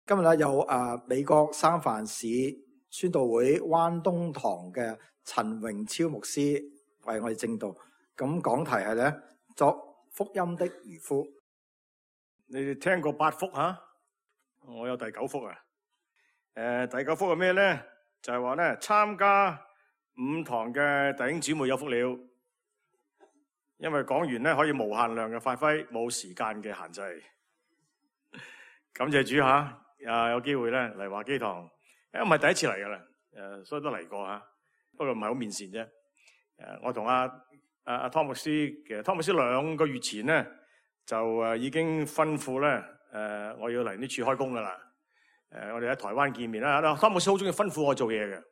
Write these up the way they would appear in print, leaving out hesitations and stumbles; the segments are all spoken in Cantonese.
今日咧有美國三藩市宣道會灣東堂嘅陳榮超牧師為我哋證道。咁講題係咧作福音的漁夫。你哋聽過8福吓？我有第9福啊。第9福係咩咧？就係話咧參加5堂嘅弟兄姊妹有福了，因為講完咧可以無限量嘅發揮，冇時間嘅限制。感謝主吓。有機會咧嚟華基堂，唔係第一次嚟噶啦，所以都嚟過吓，不過唔係好面善啫。我同阿湯牧師，其實湯牧師2個月前咧就已經吩咐咧，我要嚟呢處開工噶啦。我哋喺台灣見面啦，湯牧師好中意吩咐我做嘢嘅，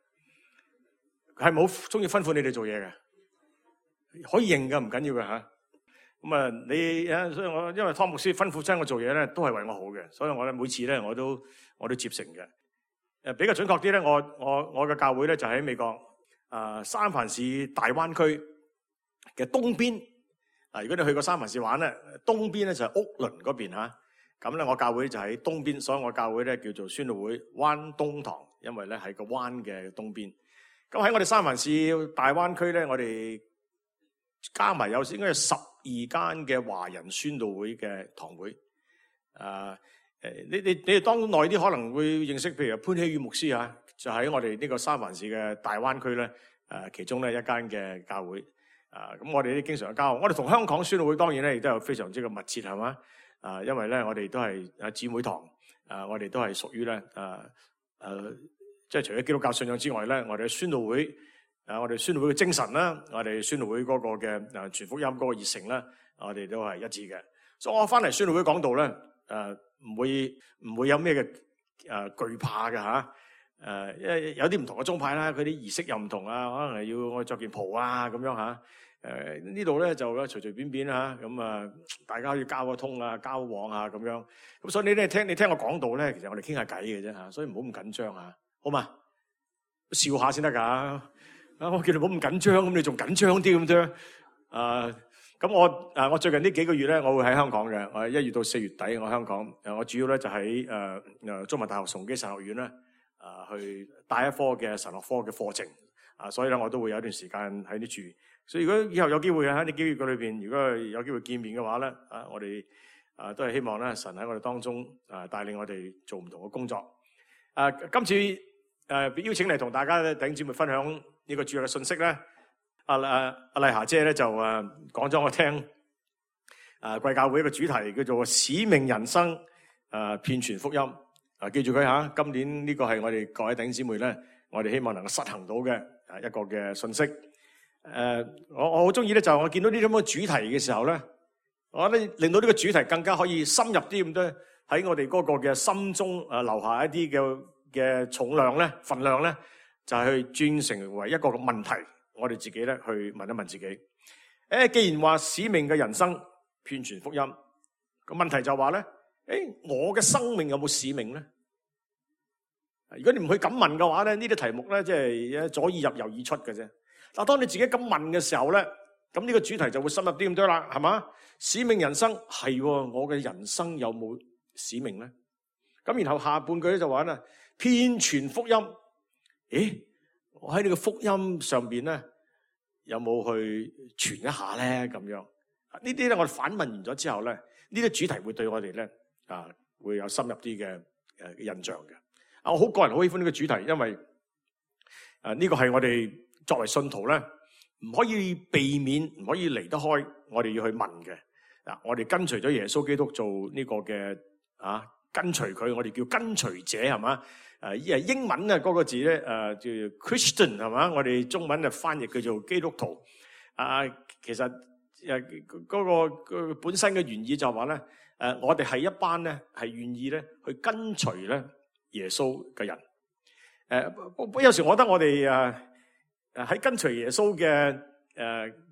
係冇中意吩咐你哋做嘢嘅，可以認噶，唔緊要嘅吓。咁所以我因為湯牧師吩咐親我做嘢咧，都係為我好嘅，所以我咧每次咧我都接承嘅。比較準確啲咧，我嘅教會咧就喺美國三藩市大灣區嘅東邊。如果你去過三藩市玩咧，東邊咧就係屋崙嗰邊吓。咁咧我教會就喺東邊，所以我教會咧叫做宣道會灣東堂，因為咧係個灣嘅東邊。咁喺我哋三藩市大灣區咧，我哋加埋有應該有12間嘅華人宣道會嘅堂會。你哋當耐啲可能會認識，譬如潘希宇牧師啊，就喺我哋呢個三藩市嘅大灣區咧，其中咧一間嘅教會。咁我哋都經常有交往。我哋同香港宣道會當然咧亦都有非常之嘅密切，係嘛？因為咧我哋都係姊妹堂，我哋都係屬於咧即係除咗基督教信仰之外咧，我哋嘅宣道會。我哋宣道會嘅精神啦，我哋宣道會嗰個嘅傳福音嗰個熱誠啦，我哋都係一致嘅。所以我翻嚟宣道會講道咧，唔會有咩嘅懼怕嘅吓。因為有啲唔同嘅宗派啦，佢啲儀式又唔同啊，可能係要我着件袍啊咁樣吓。呢度咧就隨隨便便吓，咁大家要交個通啊、交往啊咁樣。咁所以你聽我講道咧，其實我哋傾下偈嘅啫吓，所以唔好咁緊張啊，好嘛？笑下先得噶。我叫你唔好咁緊張，咁你仲緊張啲咁啫。咁我最近呢幾個月咧，我會喺香港嘅。我1月到4月底我香港。我主要咧就喺中文大學崇基神學院咧，去帶一科嘅神學科嘅課程。所以咧我都會有一段時間喺呢處。所以如果以後有機會喺呢幾個月裏邊，如果有機會見面嘅話咧，我哋都係希望咧神喺我哋當中帶領我哋做唔同嘅工作。今次邀請嚟同大家弟兄姊妹分享呢個主日嘅信息咧，阿麗霞姐咧就講咗我聽，貴教會一個主題叫做使命人生，遍傳福音。記住佢吓，今年呢個係我哋各位弟兄姊妹咧，我哋希望能夠實行到嘅一個嘅信息。我好中意咧，就我見到呢啲咁嘅主題嘅時候咧，我覺得令到呢個主題更加可以深入啲咁多喺我哋嗰個嘅心中留下一啲嘅重量咧、份量咧，就係去轉成為一個問題，我哋自己咧去問一問自己。既然話使命嘅人生遍傳福音，個問題就話咧，我嘅生命有冇使命咧？如果你唔去咁問嘅話咧，呢啲題目咧即係左耳入右耳出嘅啫。但當你自己咁問嘅時候咧，咁呢個主題就會深入啲咁多啦，係嘛？使命人生係我嘅人生有冇使命咧？咁然後下半句咧就話咧，遍傳福音。我喺呢個福音上邊咧，有冇去傳一下咧？咁樣呢啲咧，我哋反問完咗之後咧，呢啲主題會對我哋咧會有深入啲嘅印象嘅。我好個人好喜歡呢個主題，因為呢個係我哋作為信徒咧，唔可以避免，唔可以離得開，我哋要去問嘅。我哋跟隨咗耶穌基督做呢個嘅跟隨佢，我哋叫跟隨者，係嘛？英文啊嗰個字咧叫 Christian， 係嘛？我哋中文就翻譯叫做基督徒。其實嗰個本身嘅原意就係話咧，我哋係一班咧係願意咧去跟隨咧耶穌嘅人。有時我覺得我哋喺跟隨耶穌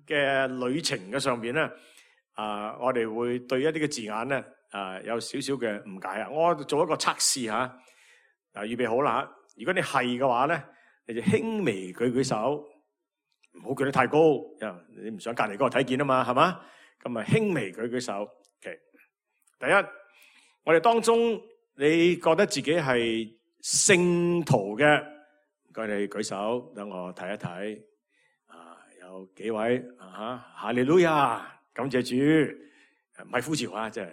嘅旅程嘅上邊咧，我哋會對一啲嘅字眼咧有少少嘅誤解啊！我做一個測試吓。預備好啦！如果你係嘅話咧，你就輕微舉舉手，唔好舉得太高，你唔想隔籬嗰個睇見啊嘛，係嘛？咁啊輕微舉舉手。Okay. 第一，我哋當中你覺得自己係聖徒嘅，唔該你舉手，等我睇一睇。有幾位哈利路亞，感謝主，唔係呼召啊，即係。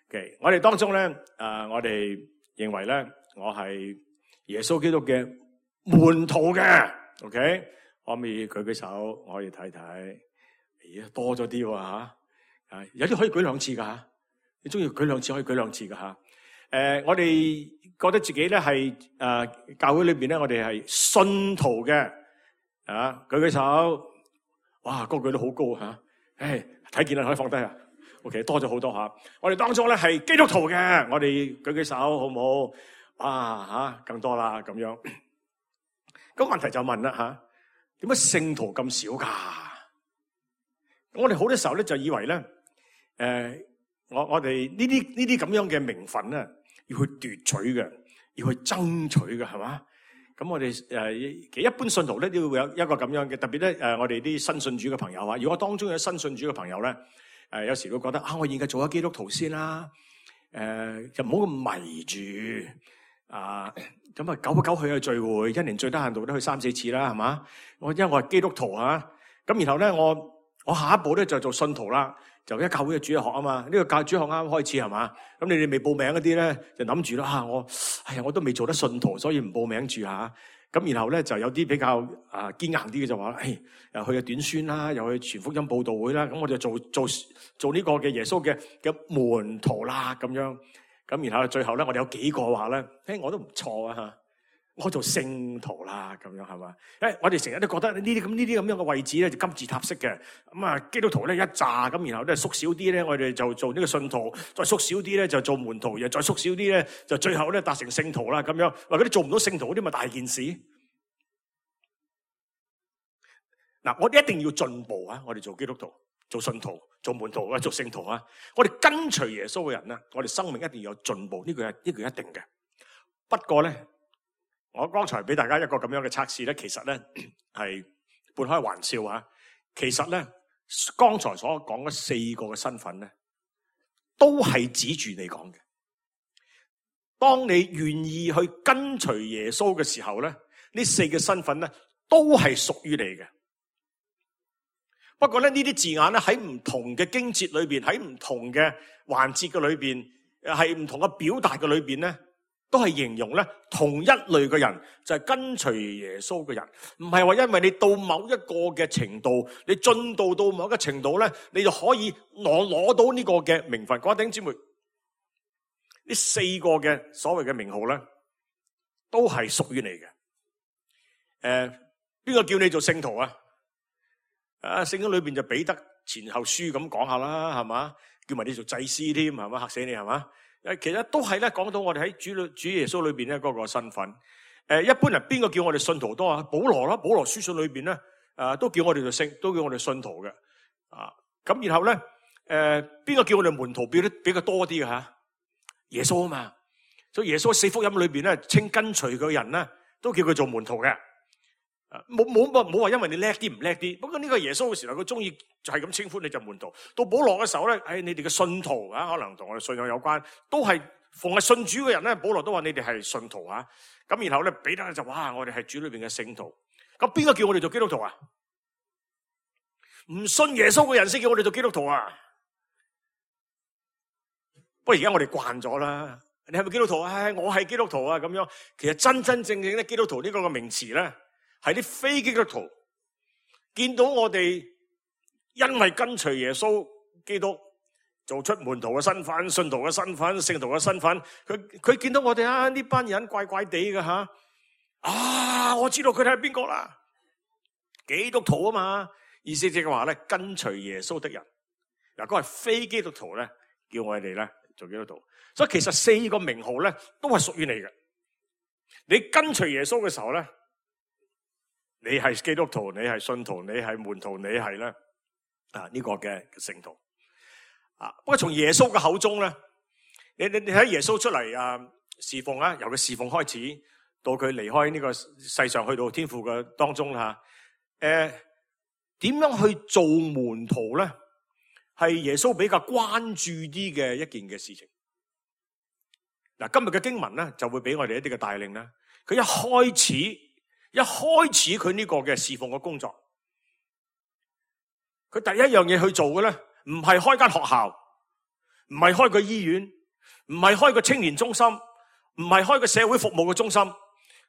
Okay, 我哋當中咧，我哋認為咧，我係耶穌基督嘅門徒嘅。OK， 可唔可以舉手？我可以睇睇。咦，多咗啲喎嚇。有啲可以舉兩次噶嚇。你中意舉兩次可以舉兩次噶嚇。我哋覺得自己咧係教會裏邊咧，我哋係信徒嘅。舉手。哇，個個都好高嚇。睇見啦，可以放低啊。OK， 多咗好多嚇。我哋當中咧係基督徒嘅，我哋舉手好唔好？更多啦咁樣。咁問題就問啦嚇，點解聖徒咁少㗎？我哋好多時候咧就以為咧，我哋呢啲咁樣嘅名分咧，要去奪取嘅，要去爭取嘅，係嘛？咁我哋其實一般信徒咧都要有一個咁樣嘅，特別咧我哋啲新信主嘅朋友啊，如果當中有新信主嘅朋友咧，有時會覺得我現在做咗基督徒先啦，就唔好咁迷住咁久不久去嘅聚會，一年最低限度都去3-4次啦，係嘛？因為我係基督徒啊，咁然後咧我下一步咧就做信徒啦，就一教會嘅主日學啊嘛，呢個教主日學啱啱開始係嘛？咁你哋未報名嗰啲咧就諗住啦，我都未做得信徒，所以唔報名住嚇。咁然後咧就有啲比較堅硬啲嘅就話又去短宣啦，又去傳福音佈道會啦，咁我就做呢個嘅耶穌嘅門徒啦咁樣。咁然後最後咧，我哋有幾個話咧，我都唔錯啊嚇，我做聖徒啦咁樣係嘛？我哋成日都覺得呢啲咁樣嘅位置咧就金字塔式嘅，咁基督徒咧一紮，咁然後咧縮少啲咧，我哋就做呢個信徒，再縮少啲咧就做門徒，又再縮少啲咧就最後咧達成聖徒啦咁樣。話嗰啲做唔到聖徒嗰啲咪大件事。嗱，我哋一定要進步啊！我哋做基督徒、做信徒、做門徒啊、做聖徒啊，我哋跟隨耶穌嘅人咧，我哋生命一定要有進步，呢個係一定嘅。不過咧，我剛才俾大家一個咁樣嘅測試咧，其實咧係半開玩笑啊。其實咧，剛才所講嘅4個嘅身份咧，都係指住你講嘅。當你願意去跟隨耶穌嘅時候咧，呢4個身份咧都係屬於你嘅。不過咧，呢啲字眼咧喺唔同嘅經節裏邊，喺唔同嘅環節嘅裏邊，係唔同嘅表達嘅裏邊咧，都係形容咧同一類嘅人，就係跟隨耶穌嘅人。唔係話因為你到某一個嘅程度，你進度到某一個程度咧，你就可以攞到呢個嘅名分。各位弟兄姊妹，呢4個嘅所謂嘅名號咧，都係屬於你嘅。邊個叫你做聖徒啊？聖經裏邊就彼得前後書咁講下啦，係嘛？叫埋你做祭司添，係嘛？嚇死你係嘛？其實都係咧講到我哋喺主耶穌裏邊咧嗰個身份。一般人邊個叫我哋信徒多啊？保羅啦，保羅書信裏邊咧，都叫我哋做都叫我哋信徒嘅。咁然後咧，邊個叫我哋門徒比較多啲嘅吓？耶穌啊嘛，所以耶穌4福音裏邊咧，稱跟隨嘅人咧，都叫佢做門徒嘅。冇話因為你叻啲唔叻啲，不過呢個耶穌嘅時候佢中意就係咁稱呼你就門徒。到保羅嘅時候咧，你哋嘅信徒可能同我哋信仰有關，都係逢係信主嘅人咧，保羅都話你哋係信徒啊。咁然後咧，彼得就話我哋係主裏邊嘅聖徒。咁邊個叫我哋做基督徒啊？唔信耶穌嘅人先叫我哋做基督徒啊。不過而家我哋慣咗啦，你係咪基督徒啊？我係基督徒啊咁樣。其實真真正正咧，基督徒呢個嘅名詞咧，係啲非基督徒見到我哋因為跟隨耶穌基督做出門徒嘅身份、信徒嘅身份、聖徒嘅身份，佢見到我哋呢班人怪怪地嘅吓，我知道佢哋係邊個啦，基督徒啊嘛，意思即係話咧跟隨耶穌的人。嗱，嗰個係非基督徒咧，叫我哋咧做基督徒。所以其實4個名號咧都係屬於你嘅。你跟隨耶穌嘅時候咧，你係基督徒，你係信徒，你係門徒，你係咧呢個嘅聖徒。不過從耶穌嘅口中咧，你睇耶穌出嚟侍奉啊，由佢侍奉開始到佢離開呢個世上去到天父嘅當中啦，點樣去做門徒咧？係耶穌比較關注啲嘅一件嘅事情。嗱，今日嘅經文咧就會俾我哋一啲嘅帶領啦。佢一開始佢呢個嘅侍奉嘅工作，佢第一樣嘢去做嘅咧，唔係開間學校，唔係開個醫院，唔係開個青年中心，唔係開個社會服務嘅中心。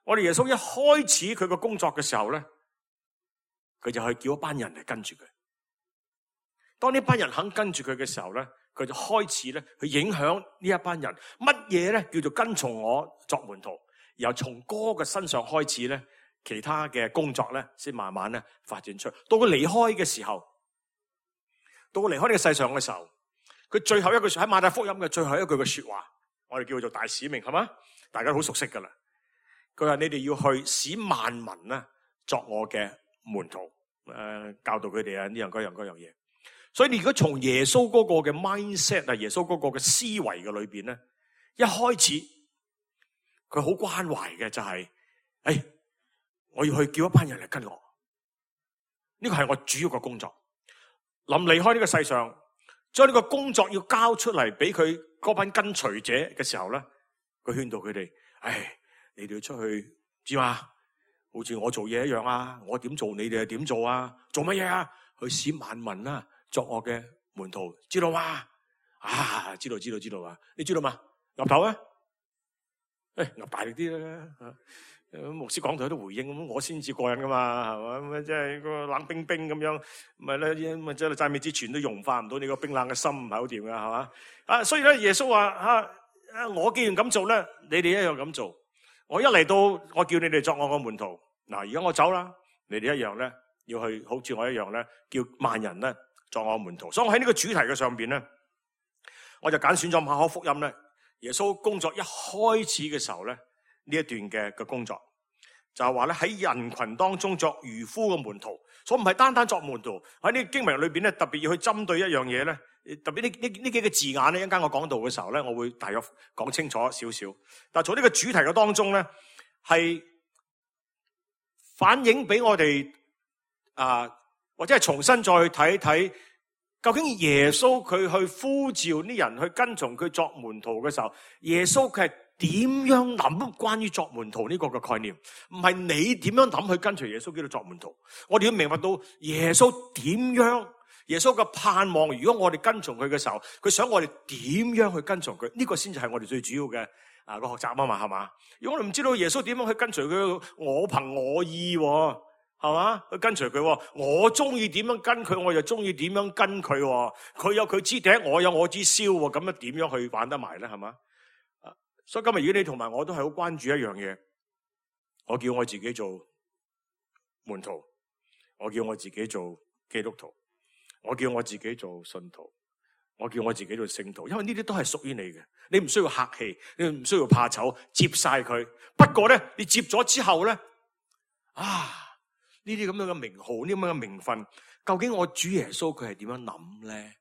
我哋耶穌一開始佢嘅工作嘅時候咧，佢就去叫一班人嚟跟住佢。當呢班人肯跟住佢嘅時候咧，佢就開始咧去影響呢一班人。乜嘢咧叫做跟從我作門徒？由從哥嘅身上開始咧，其他嘅工作咧先慢慢咧發展出。到佢離開嘅時候，到佢離開呢個世上嘅時候，佢最後一句喺馬太福音嘅最後一句嘅說話，我哋叫做大使命，係嘛？大家好熟悉噶啦。佢話：你哋要去使萬民咧作我嘅門徒，教導佢哋啊呢樣嗰樣嘢。所以你如果從耶穌嗰個嘅 mindset 啊，耶穌嗰個嘅思維嘅裏邊咧，一開始佢好關懷嘅就係，我要去叫一班人嚟跟我，呢個係我主要嘅工作。臨離開呢個世上，將呢個工作要交出嚟俾佢嗰班跟隨者嘅時候咧，佢勸導佢哋，你哋要出去知嘛？好似我做嘢一樣啊，我點做你哋係點做啊？做乜嘢啊？去使萬民啦作我嘅門徒，知道嗎？知道啊！你知道嘛？岌頭啊！岌大力啲啦！牧師講台都回應，咁我先至過癮噶嘛，係嘛？咁即係個冷冰冰咁樣，咪咧，咪即係讚美之泉都融化唔到你個冰冷嘅心，唔係好掂噶，係嘛？所以咧，耶穌話我既然咁做咧，你哋一樣咁做。我一嚟到，我叫你哋作我個門徒。嗱，而家我走啦，你哋一樣咧，要去好似我一樣咧，叫萬人咧作我門徒。所以我喺呢個主題嘅上邊咧，我就揀選咗馬可福音咧，耶穌工作一開始嘅時候咧，呢一段嘅工作就係話咧，喺人群當中作漁夫嘅門徒。所以唔係單單作門徒，喺呢個經文裏邊咧，特別要去針對一樣嘢咧。特別呢幾個字眼咧，一陣間我講到嘅時候咧，我會大約講清楚少少。但係從呢個主題嘅當中咧，係反映俾我哋或者係重新再去睇睇，究竟耶穌佢去呼召啲人去跟從佢作門徒嘅時候，耶穌佢係點樣諗關於作門徒呢個嘅概念？唔係你點樣諗去跟隨耶穌基督作門徒，我哋要明白到耶穌點樣。耶穌嘅盼望，如果我哋跟從佢嘅時候，佢想我哋點樣去跟從佢？呢個先至係我哋最主要嘅個學習啊嘛，係嘛？如果我哋唔知道耶穌點樣去跟隨佢，我憑我意係嘛去跟隨佢，我中意點樣跟佢，我就中意點樣跟佢。佢有佢支笛，我有我支簫，咁樣點樣去玩得埋咧？係嘛？所以今日如果你同埋我都係好關注一樣嘢，我叫我自己做門徒，我叫我自己做基督徒。我叫我自己做信徒，我叫我自己做聖徒，因為呢啲都係屬於你嘅，你唔需要客氣，你唔需要怕醜，接晒佢。不過咧，你接咗之後咧，呢啲咁樣嘅名號，呢啲咁樣嘅名分，究竟我主耶穌佢係點樣諗咧？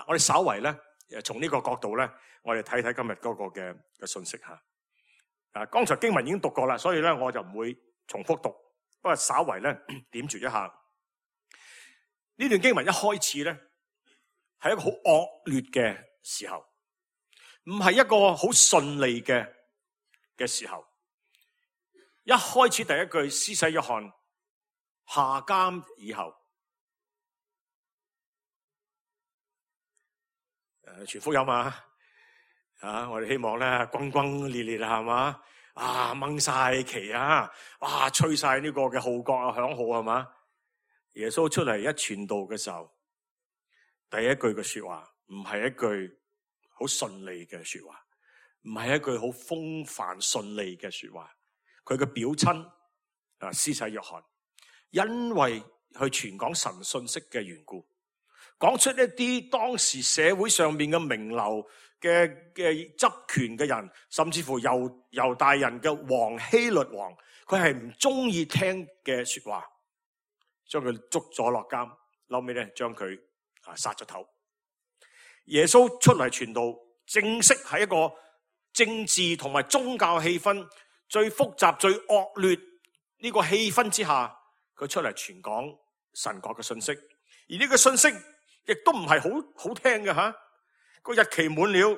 我哋稍為咧，從呢個角度咧，我哋睇睇今日嗰個嘅信息吓。剛才經文已經讀過啦，所以咧我就唔會重複讀，不過稍為咧點綴一下。呢段經文一開始咧，係一個好惡劣嘅時候，唔係一個好順利嘅時候。一開始第一句，施洗約翰下監以後，傳福音我哋希望咧轟轟烈烈係嘛，掹晒旗吹晒呢個嘅號角響號係嘛。耶穌出嚟一傳道嘅時候，第一句嘅說話唔係一句好順利嘅說話，唔係一句好風帆順利嘅說話。佢嘅表親施洗約翰，因為去傳講神信息嘅緣故，講出一啲當時社會上面嘅名流嘅執權嘅人，甚至乎猶大人嘅王希律王，佢係唔中意聽嘅說話。將佢捉咗落監，後尾咧將佢殺咗頭。耶穌出嚟傳道，正式喺一個政治同埋宗教氣氛最複雜、最惡劣呢個氣氛之下，佢出嚟傳講神國嘅信息。而呢個信息亦都唔係好聽嘅吓。個日期滿了，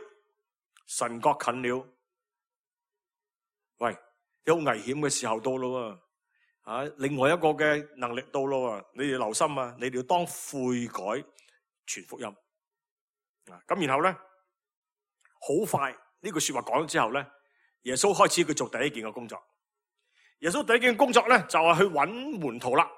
神國近了，有危險嘅時候到咯喎，另外一個嘅能力到咯喎，你哋留心啊，你哋要當悔改傳福音咁然後咧，好快呢句說話講咗之後咧，耶穌開始佢做第一件嘅工作。耶穌第一件工作咧就係去揾門徒啦。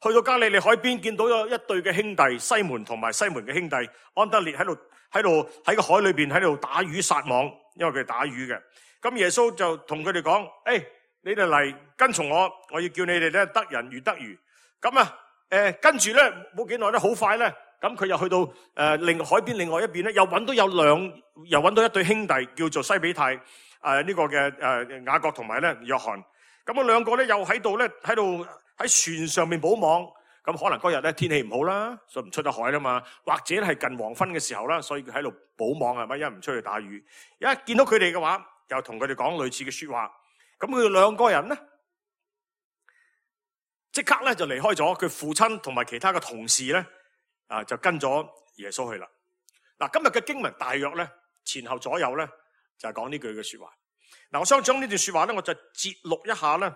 去到加利利海邊，見到有一對嘅兄弟西門同埋西門嘅兄弟安德烈喺個海裏邊喺度打魚撒網，因為佢哋打魚嘅。咁耶穌就同佢哋講：你哋嚟跟從我，我要叫你哋咧得人如得魚。咁跟住咧冇幾耐咧，好快咧，咁佢又去到海邊另外一邊咧，又揾到一對兄弟叫做西比泰呢個嘅雅各同埋咧約翰。咁兩個咧又喺度喺船上面補網。咁可能嗰日咧天氣唔好啦，所以唔出得海啦嘛，或者係近黃昏嘅時候啦，所以佢喺度補網係咪？因為唔出去打魚。一見到佢哋嘅話，又同佢哋講類似嘅說話。咁佢哋兩個人咧，即刻咧就離開咗佢父親同埋其他嘅同事咧，就跟咗耶穌去啦。嗱，今日嘅經文大約咧前後左右咧就係講呢句嘅說話。嗱，我想將呢段說話咧，我就節錄一下咧，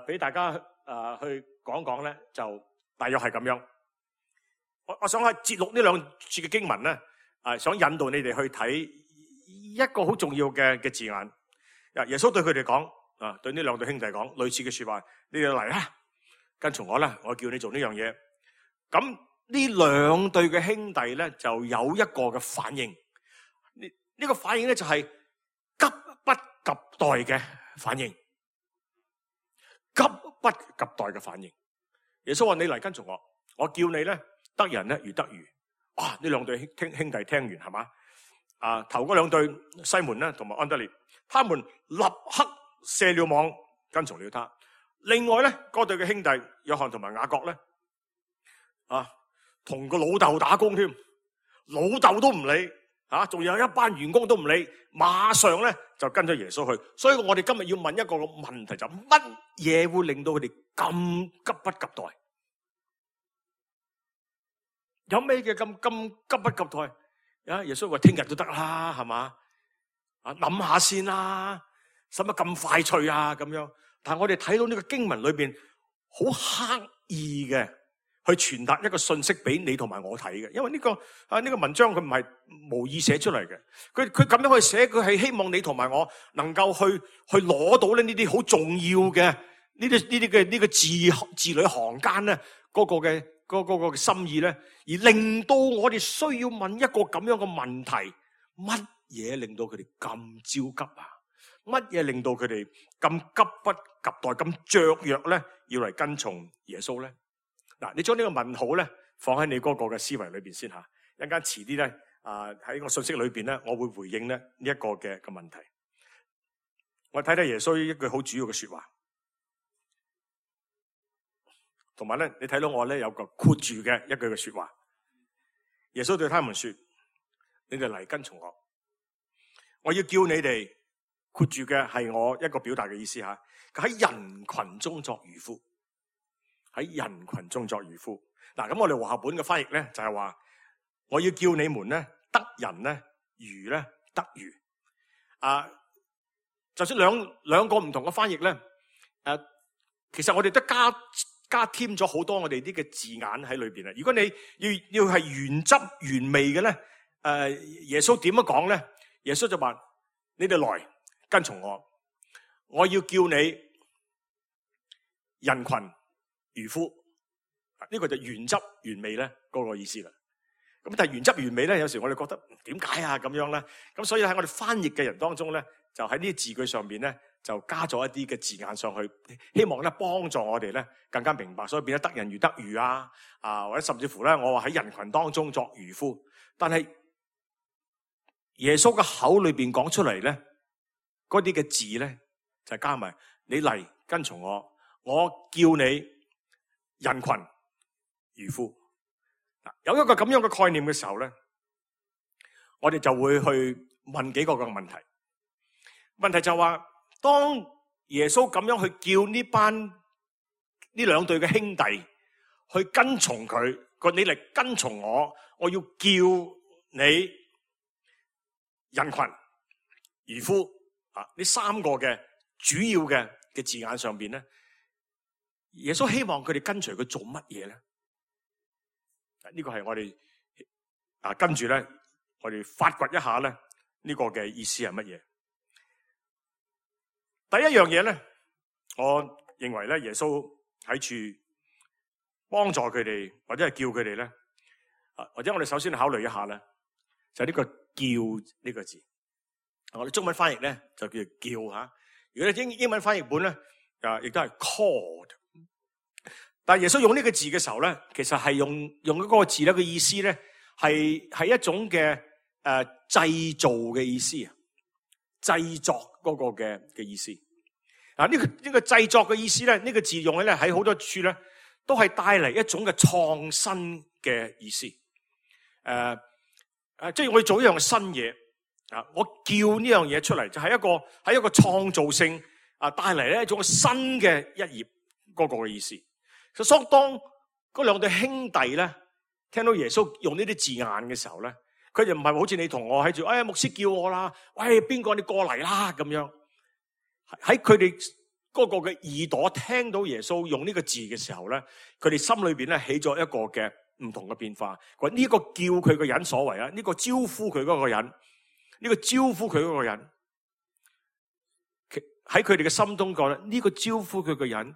俾大家去講講咧，就大約係咁樣。我想係節錄呢兩處嘅經文咧，想引導你哋去睇一個好重要嘅字眼。耶穌對佢哋講，對呢兩對兄弟講類似嘅說話：你哋嚟啦，跟從我啦，我叫你做呢樣嘢。咁呢兩對嘅兄弟咧，就有一個嘅反應。呢個反應咧就係急不及待嘅反應，急不及待嘅反應。耶穌話：你嚟跟從我，我叫你咧得人咧如得魚。哇！呢兩對兄弟聽完係嘛？頭嗰兩對西門咧同埋安德烈，他們立刻卸了網跟從了他。另外咧嗰對嘅兄弟約翰同埋雅各咧，同個老豆打工添，老豆都唔理，仲有一班員工都唔理，馬上咧就跟咗耶穌去。所以我哋今日要問一個問題，就乜嘢會令到佢哋咁急不及待？有咩嘅咁急不及待？耶穌話聽日都得啦，係嘛？諗下先啦，使乜咁快脆啊？咁樣，但係我哋睇到呢個經文裏邊好刻意嘅去傳達一個信息俾你同埋我睇嘅，因為呢個文章佢唔係無意寫出嚟嘅，佢咁樣去寫，佢係希望你同埋我能夠去攞到呢啲好重要嘅呢個字裏行間咧嗰個嘅心意咧，而令到我哋需要問一個咁樣嘅問題：乜嘢令到佢哋咁焦急啊？乜嘢令到佢哋咁急不及待、咁雀躍咧，要嚟跟從耶穌咧？嗱，你將呢個問號咧放喺你嗰個嘅思維裏邊先吓，一陣間遲啲咧喺個信息裏邊咧，我會回應咧呢一個嘅問題。我睇睇耶穌一句好主要嘅說話，同埋咧你睇到我咧有個括住嘅一句嘅說話。耶穌對他們說：你哋嚟跟從我，我要叫你哋，括住嘅係我一個表達嘅意思吓，喺人群中作漁夫。喺人群中作漁夫。嗱，咁我哋和合本嘅翻譯咧就係話，我要叫你們咧得人咧魚咧得魚。就算兩個唔同嘅翻譯咧，其實我哋都加添咗好多我哋啲嘅字眼喺裏邊啊。如果你要係原汁原味嘅咧，耶穌點樣講咧？耶穌就話：你哋來跟從我，我要叫你人群漁夫。呢個就原汁原味咧嗰個意思啦。咁但係原汁原味咧，有時我哋覺得點解啊咁樣咧？咁所以喺我哋翻譯嘅人當中咧，就喺呢啲字句上邊咧，就加咗一啲嘅字眼上去，希望咧幫助我哋咧更加明白。所以變咗得人如得魚或者甚至乎咧，我話喺人群當中作漁夫。但係耶穌嘅口裏邊講出嚟咧，嗰啲嘅字咧就加埋你嚟跟從我，我叫你人群漁夫。有一個咁樣嘅概念嘅時候咧，我哋就會去問幾個嘅問題。問題就話，當耶穌咁樣去叫呢兩對嘅兄弟去跟從佢，你嚟跟從我，我要叫你人群漁夫呢三個嘅主要嘅字眼上邊咧，耶穌希望佢哋跟隨佢做乜嘢咧？呢個係我哋跟住咧，我哋發掘一下咧呢個嘅意思係乜嘢？第一樣嘢咧，我認為咧，耶穌喺處幫助佢哋，或者係叫佢哋咧，或者我哋首先考慮一下咧，就係呢個叫呢個字。我哋中文翻譯咧就叫做叫吓，如果英文翻譯本咧，亦都係 called。但係耶穌用呢個字嘅時候咧，其實係用嗰個字咧嘅意思咧，係一種嘅製造嘅意思啊，製作嗰個嘅意思。呢個製作嘅意思咧，呢個字用咧喺好多處咧，都係帶嚟一種嘅創新嘅意思。即係我要做一樣新嘢啊！我叫呢樣嘢出嚟，就係一個創造性帶嚟咧一種新嘅一頁嗰個嘅意思。所以當嗰兩對兄弟咧聽到耶穌用呢啲字眼嘅時候咧，佢就唔係好似你同我喺住，牧師叫我啦，喂，邊個你過嚟啦咁樣。喺佢哋嗰個嘅耳朵聽到耶穌用呢個字嘅時候咧，佢哋心裏邊咧起咗一個嘅唔同嘅變化。呢個叫佢個人所為啊，呢個招呼佢嗰個人，呢個招呼佢嗰個人，喺佢哋嘅心中覺得呢個招呼佢個人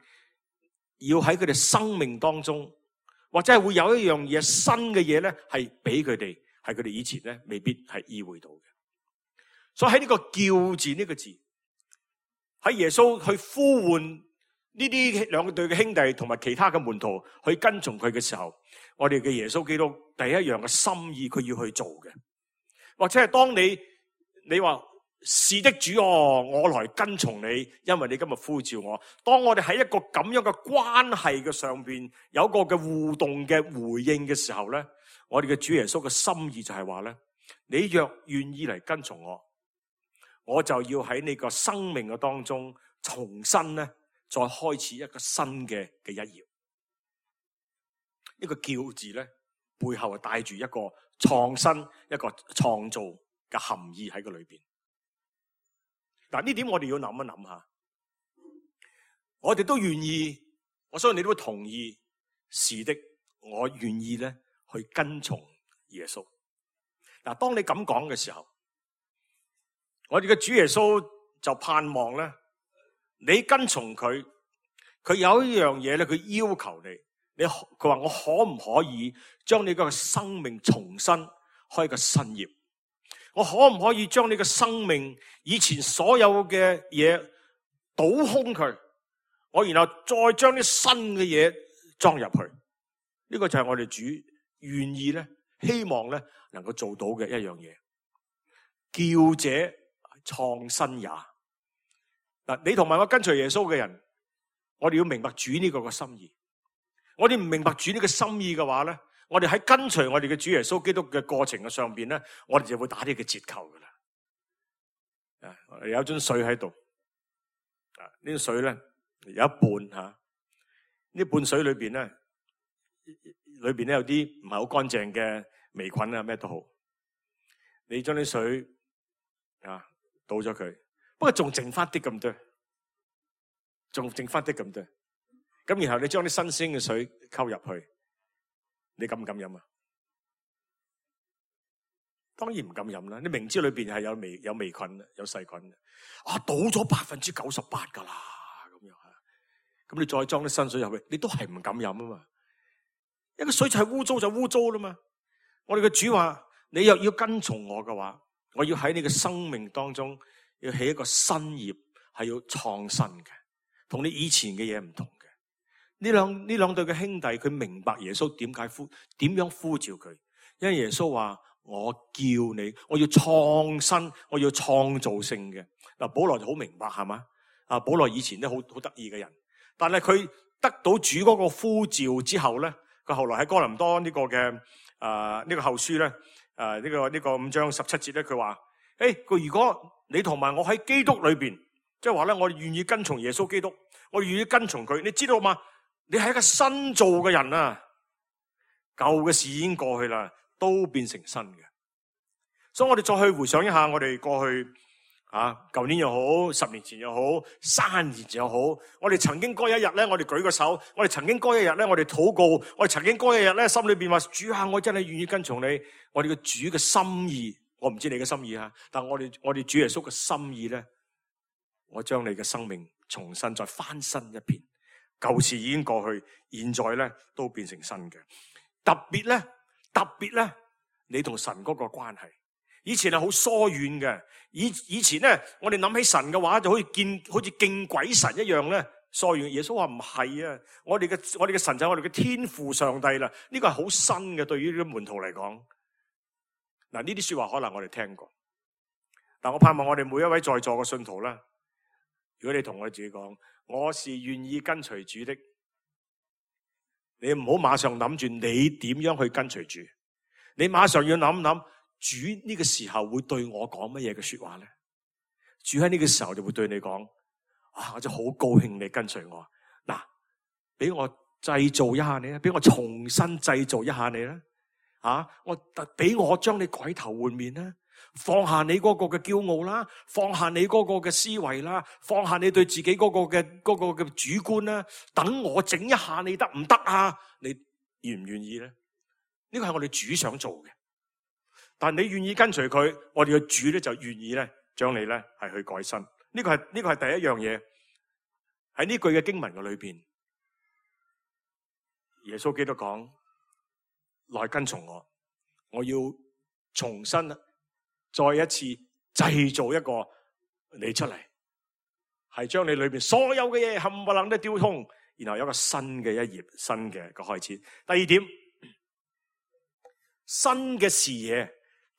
要喺佢哋生命當中，或者係會有一樣嘢新嘅嘢咧，係俾佢哋，係佢哋以前咧未必係意會到嘅。所以喺呢個叫字呢個字，喺耶穌去呼喚呢啲兩對嘅兄弟同埋其他嘅門徒去跟從佢嘅時候，我哋嘅耶穌基督第一樣嘅心意佢要去做嘅，或者係當你話是的主我來跟從你，因為你今日呼召我。當我哋喺一個咁樣嘅關係嘅上邊有一個嘅互動嘅回應嘅時候咧，我哋嘅主耶穌嘅心意就係話咧，你若願意嚟跟從我，我就要喺你個生命嘅當中重新咧再開始一個新嘅一頁。呢個叫字咧背後係帶住一個創新、一個創造嘅含義喺個裏邊。嗱，呢點我哋要諗一諗下，我哋都願意，我相信你都會同意，是的，我願意咧去跟從耶穌。嗱，當你咁講嘅時候，我哋嘅主耶穌就盼望咧，你跟從佢，佢有一樣嘢咧，佢要求你，佢話我可唔可以將你個生命重新開個新頁？我可唔可以將你嘅生命以前所有嘅嘢倒空佢，我然後再將啲新嘅嘢裝入去？呢個就係我哋主願意咧，希望咧能夠做到嘅一樣嘢。叫者創新也。嗱，你同埋我跟隨耶穌嘅人，我哋要明白主呢個嘅心意。我哋唔明白主呢個心意嘅話咧，我哋喺跟隨我哋嘅主耶穌基督嘅過程嘅上邊咧，我哋就會打呢個折扣噶啦。有樽水喺度，呢樽水咧有一半吓，呢半水裏邊咧，有啲唔係好乾淨嘅微菌啊，咩都好。你將啲水倒咗佢，不過仲剩翻啲咁多，咁然後你將啲新鮮嘅水溝入去，你敢唔敢飲啊？當然唔敢飲啦！你明知裏邊係有微菌、有細菌，倒咗98%噶啦，咁樣吓，咁你再裝啲新水入去，你都係唔敢飲啊嘛！一個水就係污糟就污糟啦嘛！我哋嘅主話：你若要跟從我嘅話，我要喺你嘅生命當中要起一個新頁，係要創新嘅，同你以前嘅嘢唔同嘅。呢兩對嘅兄弟，佢明白耶穌點樣呼召佢，因為耶穌話：我叫你，我要創新，我要創造性嘅。嗱，保羅就好明白係嘛？保羅以前都好得意嘅人，但係佢得到主嗰個呼召之後咧，佢後來喺哥林多呢個嘅呢個後書咧，呢個5章17節咧，佢話：佢如果你同埋我喺基督裏邊，即係話咧，我哋願意跟從耶穌基督，我哋願意跟從佢，你知道嘛？你係一個新造嘅人啊，舊嘅事已經過去啦，都變成新嘅。所以我哋再去回想一下我哋過去舊年又好，10年前又好，3年前又好，我哋曾經嗰一日咧，我哋舉個手，我哋曾經嗰一日咧，我哋禱告，我哋曾經嗰一日咧，心裏邊話主啊，我真係願意跟從你。我哋嘅主嘅心意，我唔知你嘅心意啊，但我哋主耶穌嘅心意咧，我將你嘅生命重新再翻新一遍，舊事已經過去，現在咧都變成新嘅。特別咧，你同神嗰個關係，以前係好疏遠嘅。以前咧，我哋諗起神嘅話，就好似敬鬼神一樣咧，疏遠。耶穌話唔係啊，我哋嘅神就係我哋嘅天父上帝啦。呢個係好新嘅，對於呢啲門徒嚟講。嗱，呢啲說話可能我哋聽過，但我盼望我哋每一位在座嘅信徒啦，如果你同我自己講，我是願意跟隨主的，你唔好馬上諗住你點樣去跟隨主，你馬上要諗諗主呢個時候會對我講乜嘢嘅說話咧？主喺呢個時候就會對你講：我真係好高興你跟隨我。嗱，俾我製造一下你啦，俾我重新製造一下你啦。俾我將你改頭換面啦，放下你嗰個嘅驕傲啦，放下你嗰個嘅思維啦，放下你對自己嗰個嘅主觀啦，等我整一下你得唔得啊？你願唔願意咧？呢個係我哋主想做嘅，但你願意跟隨佢，我哋嘅主咧就願意咧將你咧係去改新。呢個係第一樣嘢，喺呢句嘅經文嘅裏邊，耶穌基督講：來跟從我，我要重新再一次製造一個你出嚟，係將你裏邊所有嘅嘢冚唪唥都丟空，然後有一個新嘅一頁，新嘅個開始。第二點，新嘅視野，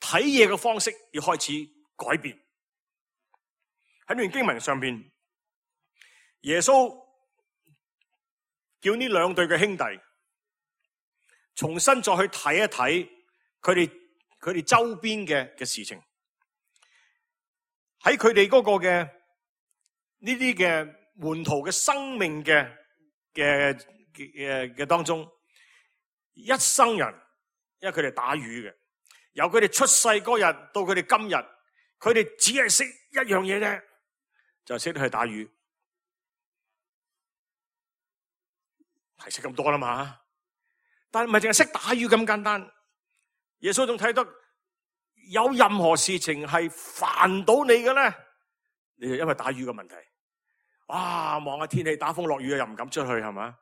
睇嘢嘅方式要開始改變。喺呢段經文上邊，耶穌叫呢兩對嘅兄弟重新再去睇一睇佢哋周邊嘅事情，喺佢哋嗰個嘅呢啲嘅門徒嘅生命嘅當中，一生人，因為佢哋打魚嘅，由佢哋出世嗰日到佢哋今日，佢哋只係識一樣嘢啫，就係識得去打魚，係識咁多啦嘛。但係唔係淨係識打魚咁簡單，耶穌仲睇得有任何事情係煩到你嘅咧，你就因為打魚嘅問題。哇，望下天氣打風落雨又唔敢出去係嘛？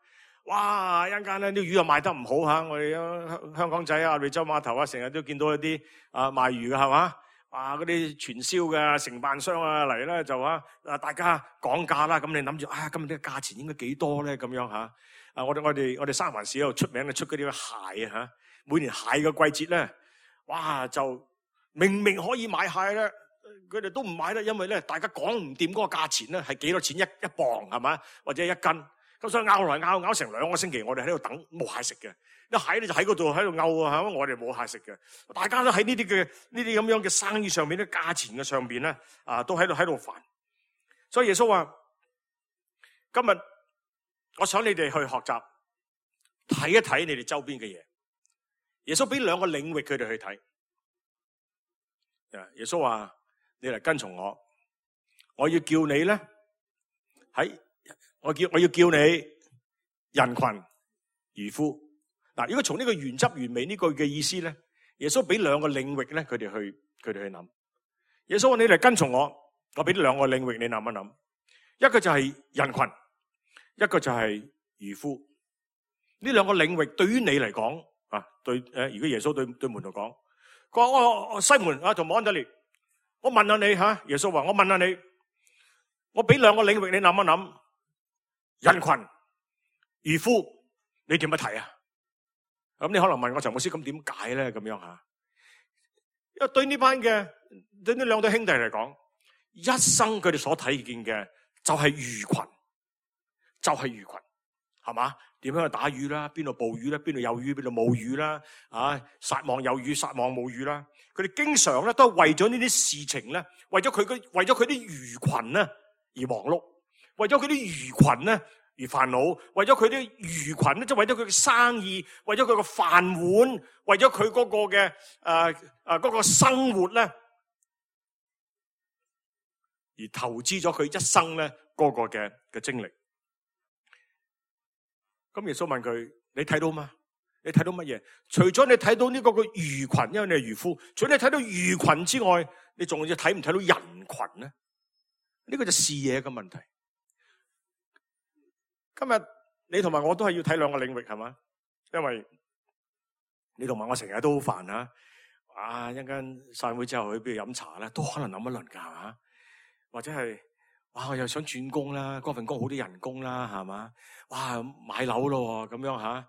哇，一陣間咧啲魚又賣得唔好吓，我哋香港仔啊、惠州碼頭啊，成日都見到一啲賣魚嘅係嘛？嗰啲傳銷嘅承辦商嚟咧就大家講價啦，咁你諗住今日啲價錢應該幾多咧？咁樣吓。我哋三藩市度出名嘅出嗰啲蟹啊，每年蟹嘅季節咧，哇，就明明可以買蟹咧，佢哋都唔買啦，因為咧大家講唔掂嗰個價錢咧係幾多錢一磅係嘛，或者一斤，咁所以拗來拗成2個星期，我哋喺度等冇蟹食嘅，啲蟹咧就喺嗰度喺度拗啊，我哋冇蟹食嘅，大家都喺呢啲咁樣嘅生意上面咧，價錢嘅上邊咧都喺度煩，所以耶穌話今日，我想你哋去學習睇一睇你哋周邊嘅嘢。耶穌俾2個領域佢哋去睇。耶穌話：你嚟跟從我，我要叫你咧我要叫你人群漁夫。嗱，如果從呢個原汁原味呢句嘅意思咧，耶穌俾2個領域咧，佢哋去諗。耶穌話：你嚟跟從我，我俾2個領域你諗一諗。一個就係人群。一個就係漁夫，呢2個領域對於你嚟講如果耶穌對門徒講，佢話我西門同安德烈，我問下你耶穌話我問下你，我俾2個領域你諗一諗，人群、漁夫，你點樣睇啊？咁你可能問我陳牧師，咁點解咧？咁樣吓，因為對呢2對兄弟嚟講，一生佢哋所睇見嘅就係魚群。就係魚群，係嘛？點樣去打魚啦？邊度捕魚啦？邊度有魚？邊度冇魚啦？撒網有魚，撒網冇魚啦。佢哋經常咧都係為咗呢啲事情咧，為咗佢啲魚群咧而忙碌，為咗佢啲魚群咧而煩惱，為咗佢啲魚群咧，即係為咗佢嘅生意，為咗佢個飯碗，為咗佢嗰個嘅嗰個生活咧而投資咗佢一生咧嗰個嘅精力。咁耶穌問佢：你睇到嗎？你睇到乜嘢？除咗你睇到呢個嘅魚群，因為你係漁夫，除咗你睇到魚群之外，你仲要睇唔睇到人群咧？呢個就視野嘅問題。今日你同埋我都係要睇兩個領域，係嘛？因為你同埋我成日都好煩啊！啊，一陣間散會之後去邊度飲茶咧，都可能諗一輪噶，係嘛？或者係哇，我又想轉工啦，嗰份工好啲人工啦，係嘛？哇，買樓咯咁樣吓。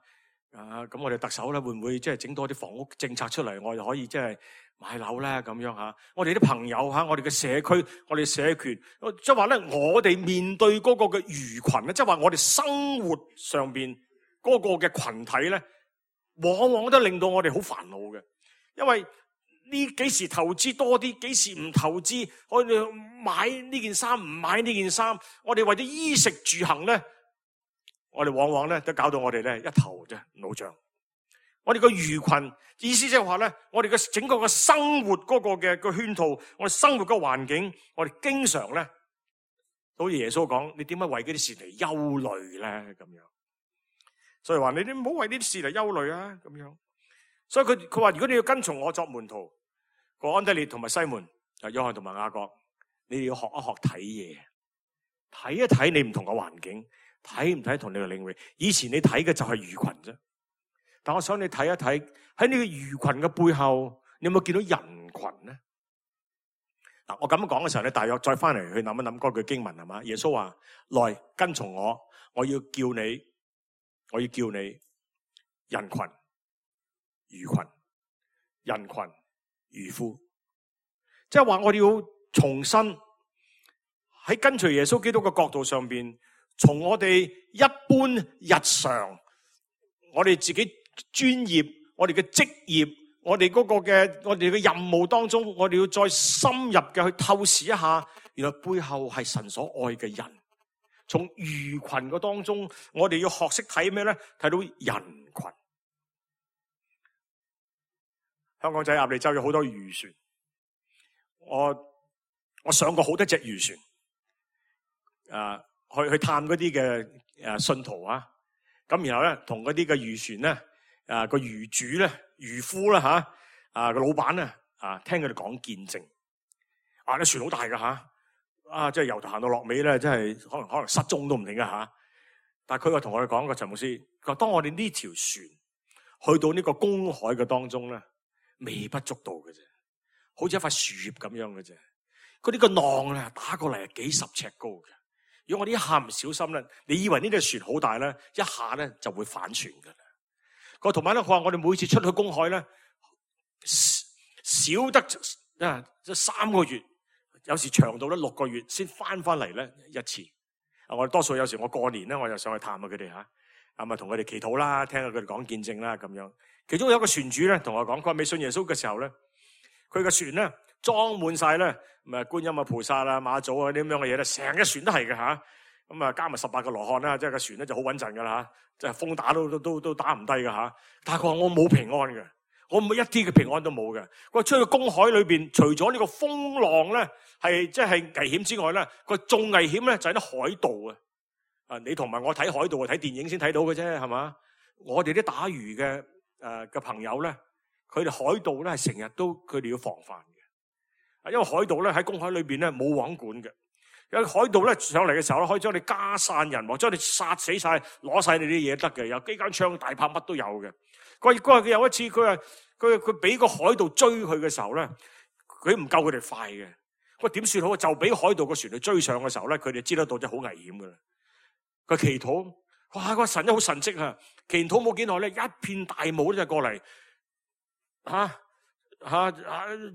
咁我哋特首咧會唔會即係整多啲房屋政策出嚟，我哋可以即係買樓咧咁樣吓？我哋啲朋友吓，我哋嘅社區，我哋社權，即係話咧，我哋面對嗰個嘅魚群咧，即係話我哋生活上邊嗰個嘅群體咧，往往都令到我哋好煩惱嘅，因為呢幾時投資多啲，幾時唔投資，我哋買呢件衫唔買呢件衫，我哋為咗衣食住行咧。我哋往往咧都搞到我哋咧一頭啫腦脹。我哋個魚群意思即係話咧，我哋嘅整個嘅生活嗰個嘅個圈套，我哋生活嘅環境，我哋經常咧，好似耶穌講，你點解為嗰啲事嚟憂慮咧？咁樣，所以話你唔好為呢啲事嚟憂慮啊！咁樣，所以佢話如果你要跟從我作門徒，個安德烈同埋西門、約翰同埋雅各，你哋要學一學睇嘢，睇一睇你唔同嘅環境。睇唔睇同你嘅領域？以前你睇嘅就係魚群啫，但我想你睇一睇喺呢個魚群嘅背後，你有冇見到人群咧？嗱，我咁樣講嘅時候咧，大約再翻嚟去諗一諗嗰句經文係嘛？耶穌話：來跟從我，我要叫你人群、魚群、人群、漁夫，即係話我哋要重新喺跟隨耶穌基督嘅角度上邊。從我哋一般日常，我哋自己專業，我哋嘅職業，我哋嘅任務當中，我哋要再深入嘅去透視一下，原來背後係神所愛嘅人。從魚群嘅當中，我哋要學識睇咩咧？睇到人群。香港仔鴨脷洲有好多漁船，我上過好多隻漁船，去探嗰啲嘅信徒啊，咁然後咧同嗰啲嘅漁船咧，個漁主咧、漁夫啦吓，個老闆咧聽佢哋講見證，啲船好大噶吓，即係由頭行到落尾咧，真係可能失蹤都唔定噶吓。但係佢又同我哋講個陳牧師，佢話當我哋呢條船去到呢個公海嘅當中咧，微不足道嘅啫，好似一塊樹葉咁樣嘅啫。嗰啲個浪咧打過嚟係幾十尺高嘅。如果我哋一下唔小心咧，你以為呢隻船好大咧，一下咧就會反船噶啦。個同埋咧，佢話我哋每次出去公海咧，少得即3個月，有時長到咧6個月先翻嚟咧一次。我哋多數有時我過年咧，我就上去探下佢哋吓，咁啊同佢哋祈禱啦，聽下佢哋講見證啦咁樣。其中有一個船主咧同我講，佢話未信耶穌嘅時候咧，佢嘅船咧裝滿晒咧。咁觀音啊、菩薩啊、馬祖啊啲咁樣嘅嘢咧，成隻船都係嘅吓。咁啊加埋18個羅漢啦，即係個船咧就好穩陣噶啦吓，即係風打都打唔低噶吓。但係佢話我冇平安嘅，我冇一啲嘅平安都冇嘅。佢話出去公海裏邊，除咗呢個風浪咧係即係危險之外咧，佢仲危險咧就係啲海盜啊！你同埋我睇海盜啊，睇電影先睇到嘅啫，係嘛？我哋啲打魚嘅朋友咧，佢哋海盜咧係成日都佢哋要防範。因為海盜咧喺公海裏邊咧冇網管嘅，有海盜咧上嚟嘅時候咧可以將你家散人亡，將你殺死晒，攞晒你啲嘢得嘅，有機關槍、大炮乜都有嘅。佢有一次佢俾個海盜追佢嘅時候咧，佢唔夠佢哋快嘅。佢點算好？就俾海盜個船去追上嘅時候咧，佢哋知得到真係好危險噶啦。佢祈禱，哇！個神真好神蹟啊！祈禱冇幾耐咧，一片大霧咧就過嚟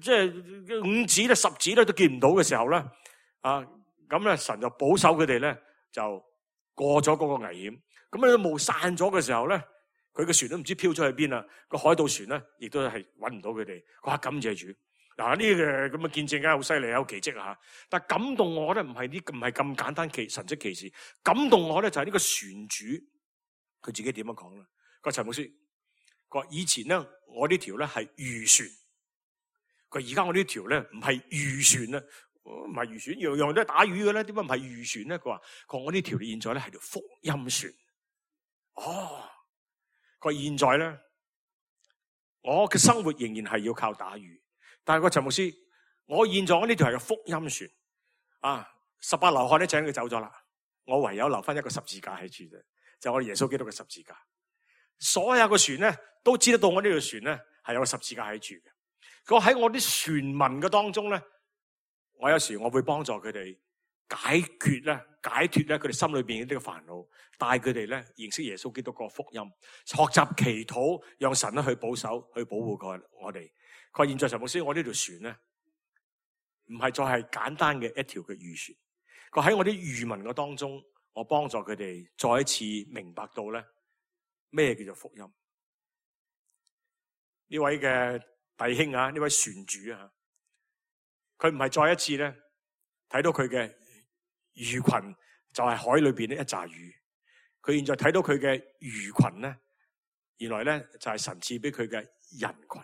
即係5指咧、10指咧都見唔到嘅時候咧，咁咧神就保守佢哋咧，就過咗嗰個危險。咁咧霧散咗嘅時候咧，佢嘅船都唔知飄咗去邊啦。個海盜船咧，亦都係搵唔到佢哋。哇！感謝主。嗱，呢個咁嘅見證梗係好犀利，有奇蹟啊！但係感動我咧，唔係咁簡單神蹟奇事。感動我咧就係呢個船主，佢自己點樣講咧？個陳牧師，佢話以前咧我呢條咧係漁船。佢而家我呢條咧唔係漁船啦，唔係漁船，樣樣都係打魚嘅咧，點解唔係漁船咧？佢話我呢條現在咧係條福音船。哦，佢話現在咧，我嘅生活仍然係要靠打魚，但係個陳牧師，我現在我呢條係個福音船啊！18流汗咧請佢走咗啦，我唯有留翻一個十字架喺處啫，就係我哋耶穌基督嘅十字架。所有嘅船咧都知得到我呢條船咧係有個十字架喺處嘅。佢話喺我啲船民嘅當中咧，我有時我會幫助佢哋解脫佢哋心裏邊呢個煩惱，帶佢哋咧認識耶穌基督個福音，學習祈禱，讓神咧去保守、去保護我哋。佢話現在陳牧師，我呢條船咧唔係再係簡單嘅一條嘅漁船。佢喺我啲漁民嘅當中，我幫助佢哋再一次明白到咧咩叫做福音。呢位嘅弟兄啊，呢位船主啊，佢唔係再一次咧睇到佢嘅魚群就係海裏邊呢一紮魚，佢現在睇到佢嘅魚群咧，原來咧就係神賜俾佢嘅人群。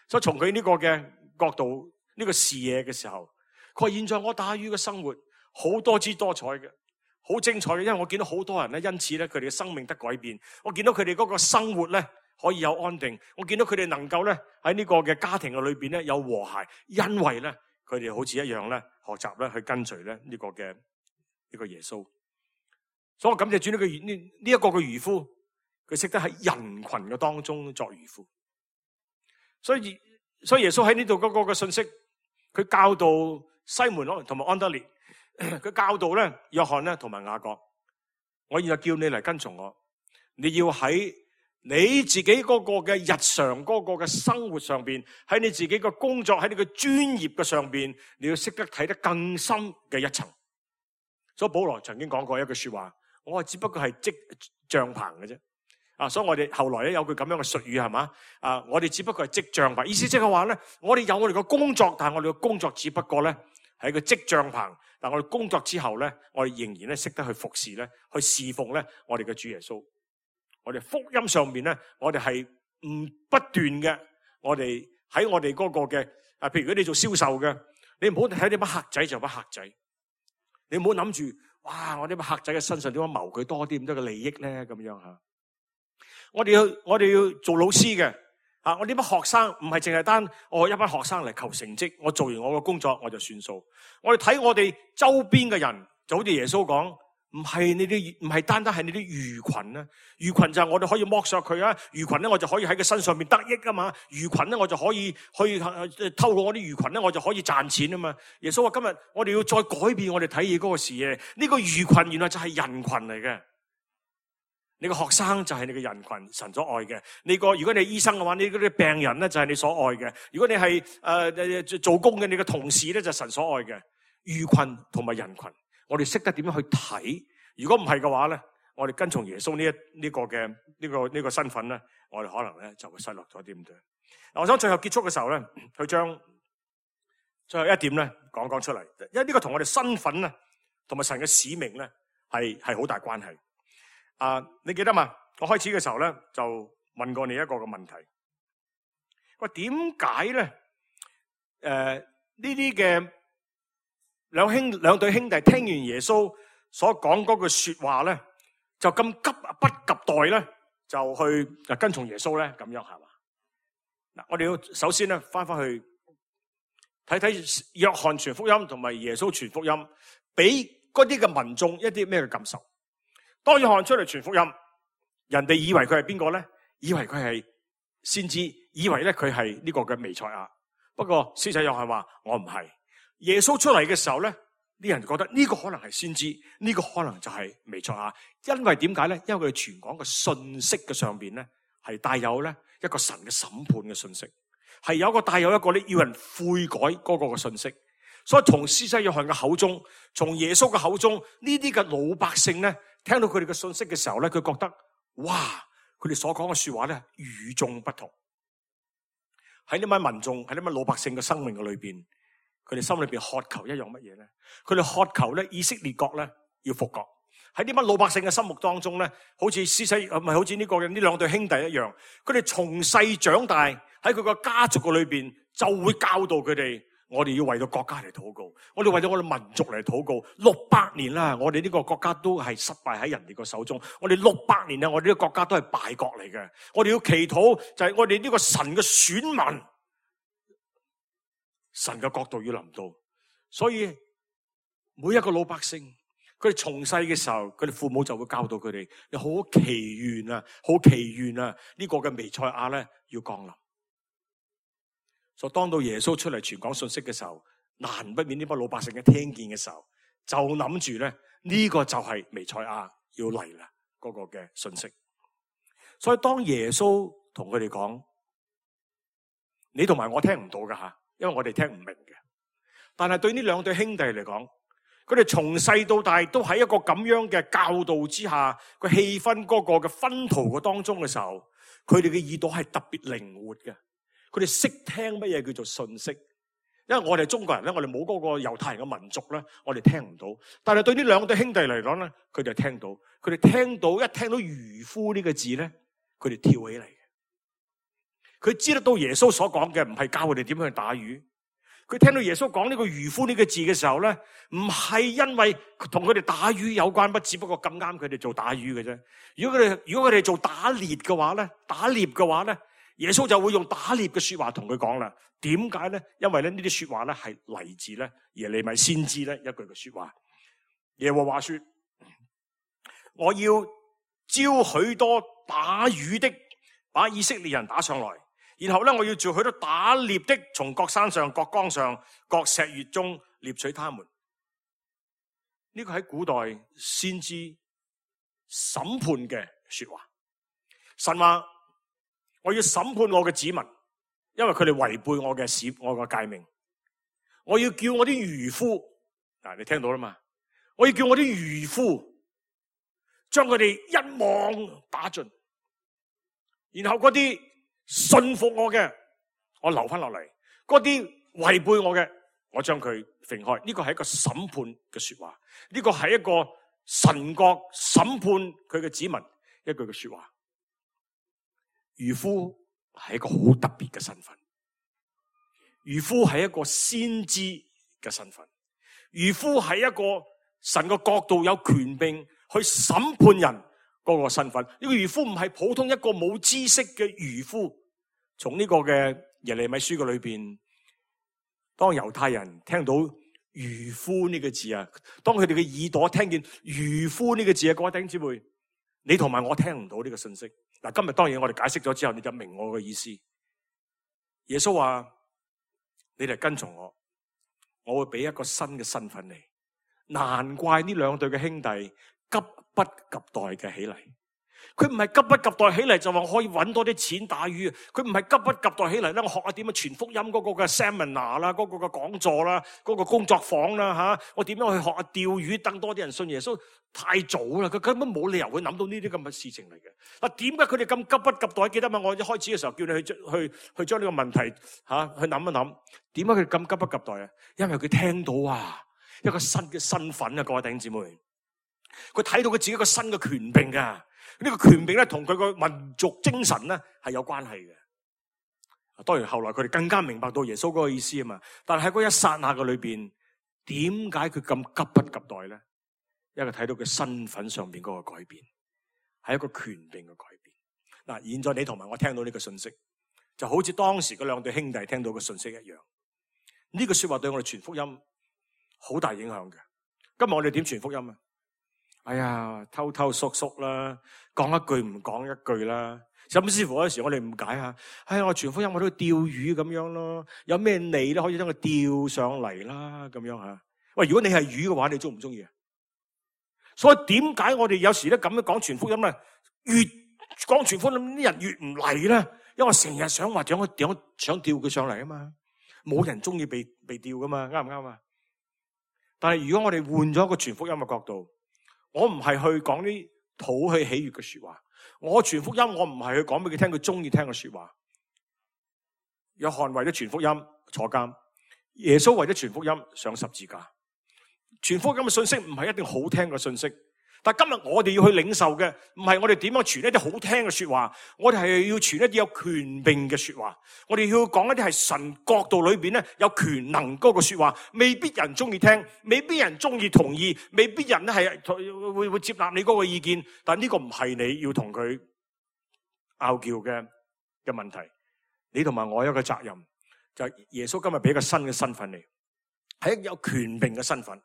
所以從佢呢個嘅角度、呢個視野嘅時候，佢話現在我打魚嘅生活好多姿多彩嘅，好精彩嘅，因為我見到好多人咧，因此咧佢哋嘅生命得改變。我見到佢哋嗰個生活咧可以有安定，我見到佢哋能夠咧喺呢個嘅家庭嘅裏邊咧有和諧，因為咧佢哋好似一樣咧學習咧去跟隨咧呢個耶穌。所以我感謝主呢一個嘅漁夫，佢識得喺人群嘅當中作漁夫。所以耶穌喺呢度嗰個嘅信息，佢教導西門同埋安德烈，佢教導咧約翰咧同埋雅各，我現在叫你嚟跟從我，你要喺你自己嗰個嘅日常嗰個嘅生活上邊，喺你自己嘅工作，喺你嘅專業嘅上邊，你要識得睇得更深嘅一層。所以保羅曾經講過一句說話，我只不過係織帳篷嘅啫。所以我哋後來咧有句咁樣嘅術語係嘛？我哋只不過係織帳篷，意思即係話咧，我哋有我哋嘅工作，但係我哋嘅工作只不過咧係一個織帳篷。但係我哋工作之後咧，我哋仍然咧識得去服侍咧，去侍奉咧我哋嘅主耶穌。我哋福音上面咧，我哋係唔不斷嘅。我哋喺我哋嗰個嘅譬如如果你做銷售嘅，你唔好睇啲乜客仔就乜客仔，你唔好諗住哇！我啲乜客仔嘅身上點樣謀佢多啲咁多嘅利益咧咁樣吓。我哋要做老師嘅我呢班學生唔係淨係單我一班學生嚟求成績，我做完我嘅工作我就算數。我哋睇我哋周邊嘅人，就好似耶穌講，唔係單單係你啲魚群啊，魚群就係我哋可以剝削佢啊，魚群咧我就可以喺佢身上面得益啊嘛，魚群咧我就可以去透過我啲魚群咧我就可以賺錢啊嘛。耶穌話今日我哋要再改變我哋睇嘢嗰個視野，呢個魚群原來就係人群嚟嘅。你個學生就係你嘅人群，神所愛嘅。如果你係醫生嘅話，你嗰啲病人咧就係你所愛嘅。如果你係做工嘅，你嘅同事咧就係神所愛嘅。魚群同埋人群，我哋識得點樣去睇。如果唔係嘅話咧，我哋跟從耶穌呢個身份咧，我哋可能咧就會失落咗啲咁多。我想最後結束嘅時候咧，去將最後一點咧講出嚟，因為呢個同我哋身份咧，同埋神嘅使命咧係好大關係。你記得嘛？我開始嘅時候咧，就問過你一個嘅問題。喂，點解咧？呢啲嘅兩對兄弟聽完耶穌所講嗰句說話咧，就咁急不及待咧，就去跟從耶穌咧？咁樣係嘛？嗱，我哋要首先咧翻去睇睇約翰傳福音同埋耶穌傳福音，俾嗰啲嘅民眾一啲咩嘅感受？當約翰出嚟傳福音，人哋以為佢係邊個咧？以為佢係先知，以為咧佢係呢個嘅彌賽亞。不過施洗約翰話我唔係。耶穌出嚟嘅時候咧，啲人覺得呢個可能係先知，呢個可能就係彌賽亞。因為點解咧？因為佢哋傳講嘅信息嘅上邊咧，係帶有咧一個神嘅審判嘅信息，係帶有一個咧要人悔改嗰個嘅信息。所以從施洗約翰嘅口中，從耶穌嘅口中，呢啲嘅老百姓咧，聽到佢哋嘅信息嘅時候咧，佢覺得哇，佢哋所講嘅說話咧與眾不同。喺呢班民眾，喺呢班老百姓嘅生命嘅裏邊，佢哋心裏邊渴求一樣乜嘢咧？佢哋渴求咧以色列國咧要復國。喺呢班老百姓嘅心目當中咧，好似施洗唔係好似呢兩對兄弟一樣，佢哋從細長大喺佢個家族嘅裏邊，就會教導佢哋。我哋要為到國家嚟禱告，我哋為咗我哋民族嚟禱告。600年啦，我哋呢個國家都係失敗喺人哋個手中。我哋600年啦，我哋呢個國家都係敗國嚟嘅。我哋要祈禱，就係我哋呢個神嘅選民，神嘅國度要臨到。所以每一個老百姓，佢哋從細嘅時候，佢哋父母就會教導佢哋，你好祈願啊，好祈願啊，呢個嘅彌賽亞咧要降臨。所以當到耶穌出嚟傳講信息嘅時候，難不免呢班老百姓一聽見嘅時候，就諗住咧呢個就係彌賽亞要嚟啦嗰個嘅信息。所以當耶穌同佢哋講，你同埋我聽唔到噶吓，因為我哋聽唔明嘅。但係對呢兩對兄弟嚟講，佢哋從細到大都喺一個咁樣嘅教導之下，個氣氛嗰個嘅薰陶嘅當中嘅時候，佢哋嘅耳朵係特別靈活嘅。佢哋識聽乜嘢叫做信息，因為我哋中國人咧，我哋冇嗰個猶太人嘅民族咧，我哋聽唔到。但係對呢兩對兄弟嚟講咧，佢哋聽到，佢哋聽到一聽到漁夫呢個字咧，佢哋跳起嚟嘅。佢知得到耶穌所講嘅唔係教佢哋點樣去打魚。佢聽到耶穌講呢個漁夫呢個字嘅時候咧，唔係因為同佢哋打魚有關，不只不過咁啱佢哋做打魚嘅啫。如果佢哋做打獵嘅話咧，耶穌就會用打獵嘅說話同佢講啦。點解咧？因為咧呢啲說話咧係嚟自咧耶利米先知咧一句嘅說話。耶和華說：我要招許多打魚的，把以色列人打上來。然後咧，我要召許多打獵的，從各山上、各江上、各石穴中獵取他們。呢個喺古代先知審判嘅說話。神話我要審判我嘅子民，因為佢哋違背我嘅誡命。我要叫我啲漁夫，你聽到啦嘛？我要叫我啲漁夫將佢哋一網打盡，然後嗰啲信服我嘅，我留翻落嚟；嗰啲違背我嘅，我將佢揈開。呢個係一個審判嘅說話，呢個係一個神國審判佢嘅子民一句嘅說話。漁夫係一個好特別嘅身份，漁夫係一個先知嘅身份，漁夫係一個神嘅國度有權柄去審判人嗰個身份。呢個漁夫唔係普通一個冇知識嘅漁夫。從呢個嘅耶利米書嘅裏邊，當猶太人聽到漁夫呢個字啊，當佢哋嘅耳朵聽見漁夫呢個字啊，各位弟兄姊妹，你同埋我聽唔到呢個信息。嗱，今日當然我哋解釋咗之後，你就明我嘅意思。耶穌話：你哋跟從我，我會俾一個新嘅身份你。難怪呢兩對嘅兄弟急不及待嘅起嚟。佢唔係急不及待起嚟就話可以揾多啲錢打魚，佢唔係急不及待起嚟咧，我學下點樣傳福音嗰個嘅 seminar 啦，嗰個嘅講座啦，嗰個工作坊啦吓，我點樣去學下釣魚，等多啲人信耶穌？太早啦，佢根本冇理由會諗到呢啲咁嘅事情嚟嘅。嗱，點解佢哋咁急不及待？記得嘛？我一開始嘅時候叫你去將呢個問題去諗一諗，點解佢咁急不及待啊？因為佢聽到一個新嘅身份啊，各位弟兄姊妹，佢睇到佢自己一個新嘅權柄噶。呢個權柄咧，同佢個民族精神咧係有關係嘅。當然後來佢哋更加明白到耶穌嗰個意思啊嘛。但係喺嗰一剎那嘅裏邊，點解佢咁急不及待咧？因為睇到佢身份上邊嗰個改變，係一個權柄嘅改變。嗱，現在你同埋我聽到呢個信息，就好似當時嗰兩對兄弟聽到嘅信息一樣。呢個說話對我哋傳福音好大影響嘅。今日我哋點傳福音啊？哎呀，偷偷縮縮啦，講一句唔講一句啦，甚至乎有時我哋誤解下，哎呀，我傳福音我都釣魚咁樣咯，有咩餌咧可以將佢釣上嚟啦，咁樣吓。喂，如果你係魚嘅話，你中唔中意啊？所以點解我哋有時咧咁樣講傳福音咧，越講傳福音啲人越唔嚟咧？因為我成日想話點想釣佢上嚟啊嘛，冇人中意被釣噶嘛，啱唔啱啊？但係如果我哋換咗一個傳福音嘅角度，我唔係去講啲討佢喜悅嘅說話，我傳福音我唔係去講俾佢聽佢中意聽嘅說話。約翰為咗傳福音坐監，耶穌為咗傳福音上十字架。傳福音嘅信息唔係一定好聽嘅信息，但今日我哋要去領受嘅，唔係我哋點樣傳一啲好聽嘅說話，我哋係要傳一啲有權柄嘅說話。我哋要講一啲係神國度裏邊咧有權能嗰個說話，未必人中意聽，未必人中意同意，未必人咧係會接納你嗰個意見。但呢個唔係你要同佢拗撬嘅問題。你同埋我有一個責任，就係耶穌今日俾一個新嘅身份你，係一個有權柄嘅身份。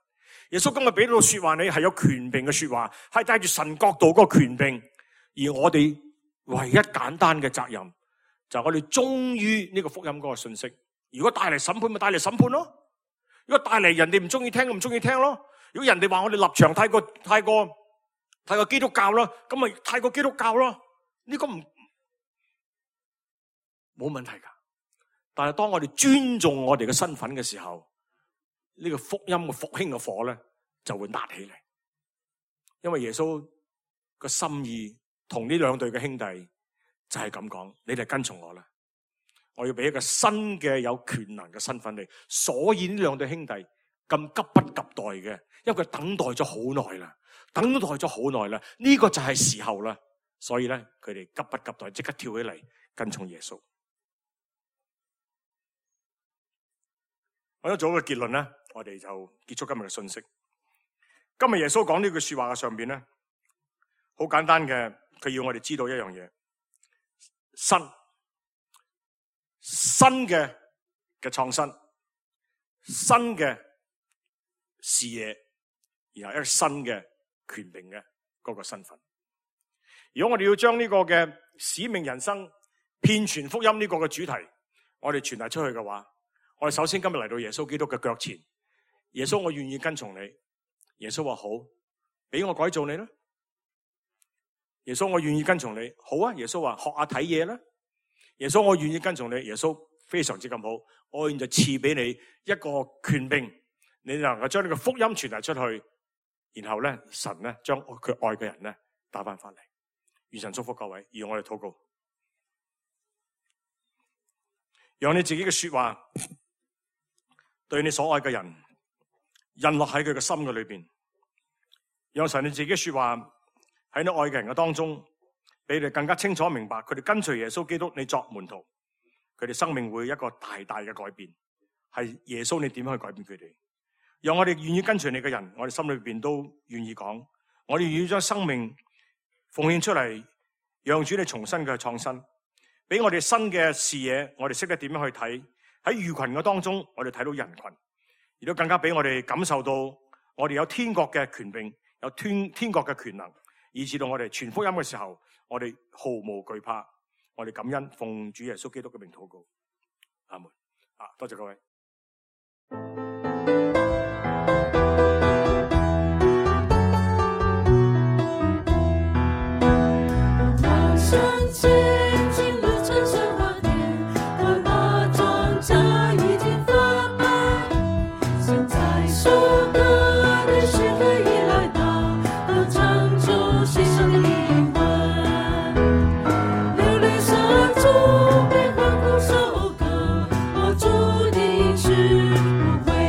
耶穌今日俾到說話你係有權柄嘅說話，係帶住神國度嗰個權柄。而我哋唯一簡單嘅責任就係我哋忠於呢個福音嗰個信息。如果帶嚟審判咪帶嚟審判咯，如果帶嚟人哋唔中意聽唔中意聽咯。如果人哋話我哋立場太過基督教啦，咁咪太過基督教咯。呢個冇問題噶。但係當我哋尊重我哋嘅身份嘅時候，呢個福音嘅復興嘅火咧就會焫起嚟。因為耶穌個心意同呢兩對嘅兄弟就係咁講，你哋跟從我啦，我要俾一個新嘅有權能嘅身份你。所以呢兩對兄弟咁急不及待嘅，因為佢等待咗好耐啦，呢個就係時候啦。所以咧佢哋急不及待，即刻跳起嚟跟從耶穌。我一做一個結論咧，我哋就結束今日嘅信息。今日耶穌講呢句說話嘅上邊咧，好簡單嘅，佢要我哋知道一樣嘢：新嘅創新，新嘅視野，然後一個新嘅權柄嘅嗰個身份。如果我哋要將呢個嘅使命人生、遍傳福音呢個嘅主題，我哋傳遞出去嘅話，我哋首先今日嚟到耶穌基督嘅腳前。耶穌，我願意跟從你。耶穌話好，俾我改造你啦。耶穌，我願意跟從你。好啊。耶穌話學下睇嘢啦。耶穌，我願意跟從你。耶穌非常之咁好，我願就賜俾你一個權柄，你能夠將呢個福音傳遞出去，然後咧神咧將佢愛嘅人咧打翻翻嚟。願神祝福各位，讓我哋禱告，讓你自己嘅說話對你所愛嘅人印落喺佢嘅心嘅裏邊，讓神你自己嘅說話喺你愛嘅人嘅當中，俾你更加清楚明白，佢哋跟隨耶穌基督，你作門徒，佢哋生命會一個大大嘅改變，係耶穌你點樣去改變佢哋？讓我哋願意跟隨你嘅人，我哋心裏邊都願意講，我哋願意將生命奉獻出嚟，讓主你重新嘅創新，俾我哋新嘅視野，我哋識得點樣去睇喺魚群嘅當中，我哋睇到人群，亦都更加俾我哋感受到我哋有天國嘅權柄，有天國嘅權能，以至到我哋傳福音嘅時候，我哋毫無懼怕，我哋感恩奉主耶穌基督嘅名禱告，阿門。多謝各位。我注定是不会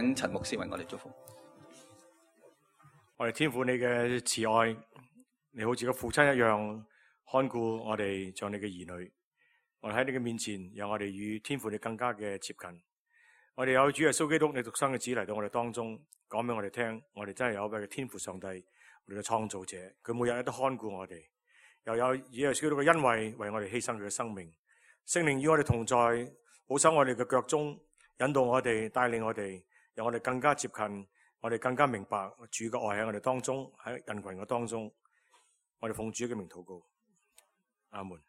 請陳牧師為我哋祝福。我哋天父你嘅慈愛，你好似個父親一樣看顧我哋，像你嘅兒女。我哋喺你嘅面前，讓我哋與天父你更加嘅接近。我哋有主耶穌基督你獨生嘅子嚟到我哋當中，講俾我哋聽，我哋真係有一位嘅天父上帝，我哋嘅創造者，佢每日都看顧我哋，又有主耶穌基督嘅恩惠為我哋犧牲佢嘅生命。聖靈與我哋同在，保守我哋嘅腳蹤，引導我哋，帶領我哋，讓我哋更加接近，我哋更加明白主嘅愛喺我哋當中，喺人群嘅當中。我哋奉主嘅名禱告，阿門。